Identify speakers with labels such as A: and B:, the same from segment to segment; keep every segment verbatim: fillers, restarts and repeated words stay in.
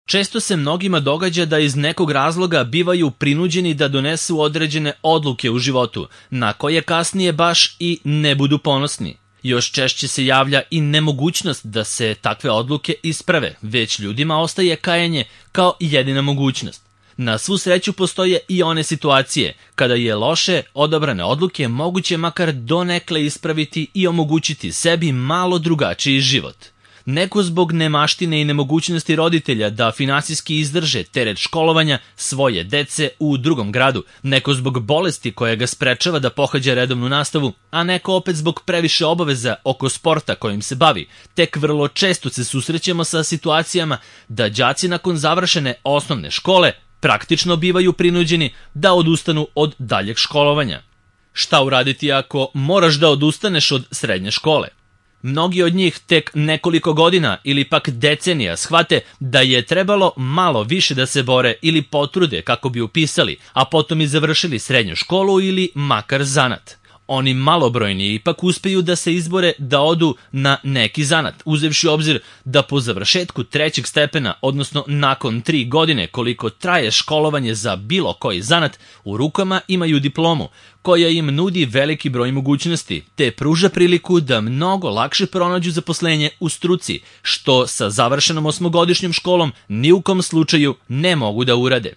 A: Često se mnogima događa da iz nekog razloga bivaju prinuđeni da donesu određene odluke u životu, na koje kasnije baš i ne budu ponosni. Još češće se javlja i nemogućnost da se takve odluke isprave, već ljudima ostaje kajanje kao jedina mogućnost. Na svu sreću postoje i one situacije kada je loše odabrane odluke moguće makar donekle ispraviti i omogućiti sebi malo drugačiji život. Neko zbog nemaštine i nemogućnosti roditelja da finansijski izdrže teret školovanja svoje dece u drugom gradu, neko zbog bolesti koja ga sprečava da pohađa redovnu nastavu, a neko opet zbog previše obaveza oko sporta kojim se bavi. Tek vrlo često se susrećemo sa situacijama da đaci nakon završene osnovne škole praktično bivaju prinuđeni da odustanu od daljeg školovanja. Šta uraditi ako moraš da odustaneš od srednje škole? Mnogi od njih tek nekoliko godina ili pak decenija shvate da je trebalo malo više da se bore ili potrude kako bi upisali, a potom i završili srednju školu ili makar zanat. Oni malobrojni ipak uspeju da se izbore da odu na neki zanat, uzevši u obzir da po završetku trećeg stepena, odnosno nakon tri godine koliko traje školovanje za bilo koji zanat, u rukama imaju diplomu, koja im nudi veliki broj mogućnosti, te pruža priliku da mnogo lakše pronađu zaposlenje u struci, što sa završenom osmogodišnjom školom ni u kom slučaju ne mogu da urade.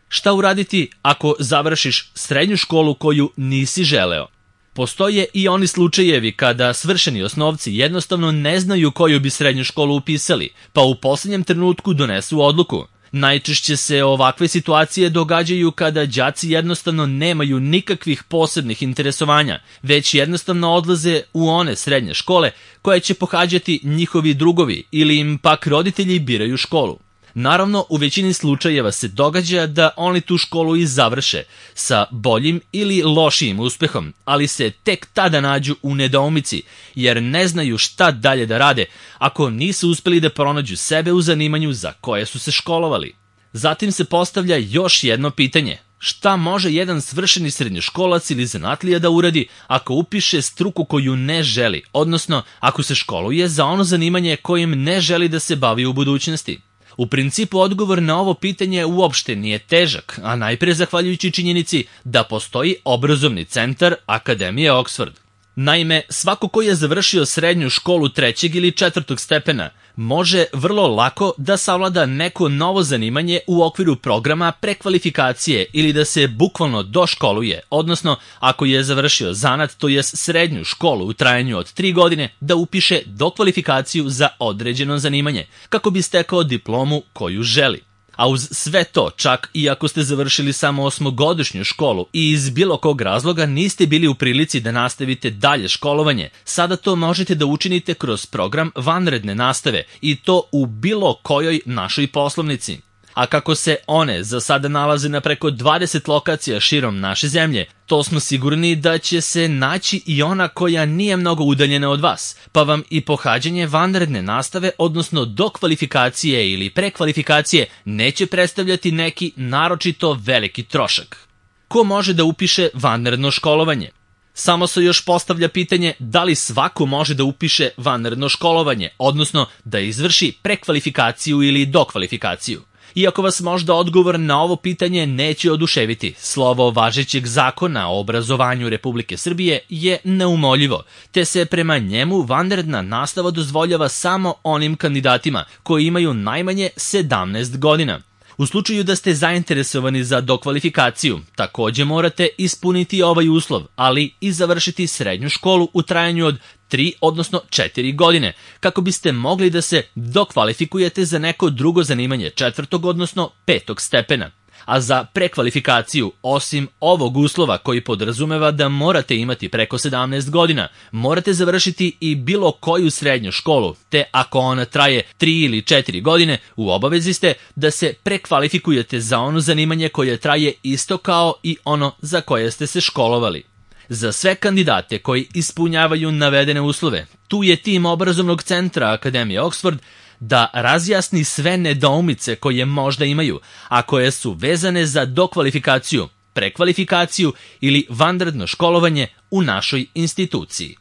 A: Šta uraditi ako završiš srednju školu koju nisi želeo? Postoje i oni slučajevi kada svršeni osnovci jednostavno ne znaju koju bi srednju školu upisali, pa u posljednjem trenutku donesu odluku. Najčešće se ovakve situacije događaju kada đaci jednostavno nemaju nikakvih posebnih interesovanja, već jednostavno odlaze u one srednje škole koje će pohađati njihovi drugovi ili im pak roditelji biraju školu. Naravno, u većini slučajeva se događa da oni tu školu i završe sa boljim ili lošijim uspehom, ali se tek tada nađu u nedoumici, jer ne znaju šta dalje da rade ako nisu uspeli da pronađu sebe u zanimanju za koje su se školovali. Zatim se postavlja još jedno pitanje. Šta može jedan svršeni srednjoškolac ili zanatlija da uradi ako upiše struku koju ne želi, odnosno ako se školuje za ono zanimanje kojim ne želi da se bavi u budućnosti? U principu odgovor na ovo pitanje uopšte nije težak, a najpre zahvaljujući činjenici da postoji obrazovni centar Akademije Oxford. Naime, svako ko je završio srednju školu trećeg ili četvrtog stepena može vrlo lako da savlada neko novo zanimanje u okviru programa prekvalifikacije ili da se bukvalno doškoluje, odnosno ako je završio zanat, to jest srednju školu u trajanju od tri godine, da upiše dokvalifikaciju za određeno zanimanje, kako bi stekao diplomu koju želi. A uz sve to, čak i ako ste završili samo osmogodišnju školu i iz bilo kog razloga niste bili u prilici da nastavite dalje školovanje, sada to možete da učinite kroz program vanredne nastave i to u bilo kojoj našoj poslovnici. A kako se one za sada nalaze na preko dvadeset lokacija širom naše zemlje, to smo sigurni da će se naći i ona koja nije mnogo udaljena od vas, pa vam i pohađanje vanredne nastave, odnosno dokvalifikacije ili prekvalifikacije, neće predstavljati neki naročito veliki trošak. Ko može da upiše vanredno školovanje? Samo se još postavlja pitanje da li svako može da upiše vanredno školovanje, odnosno da izvrši prekvalifikaciju ili dokvalifikaciju. Iako vas možda odgovor na ovo pitanje neće oduševiti, slovo važećeg zakona o obrazovanju Republike Srbije je neumoljivo, te se prema njemu vanredna nastava dozvoljava samo onim kandidatima koji imaju najmanje sedamnaest godina. U slučaju da ste zainteresovani za dokvalifikaciju, takođe morate ispuniti ovaj uslov, ali i završiti srednju školu u trajanju od tri, odnosno četiri godine, kako biste mogli da se dokvalifikujete za neko drugo zanimanje četvrtog, odnosno petog stepena. A za prekvalifikaciju, osim ovog uslova koji podrazumeva da morate imati preko sedamnaest godina, morate završiti i bilo koju srednju školu, te ako ona traje tri ili četiri godine, u obavezi ste da se prekvalifikujete za ono zanimanje koje traje isto kao i ono za koje ste se školovali. Za sve kandidate koji ispunjavaju navedene uslove, tu je tim obrazovnog centra Akademije Oxford da razjasni sve nedoumice koje možda imaju, a koje su vezane za dokvalifikaciju, prekvalifikaciju ili vanredno školovanje u našoj instituciji.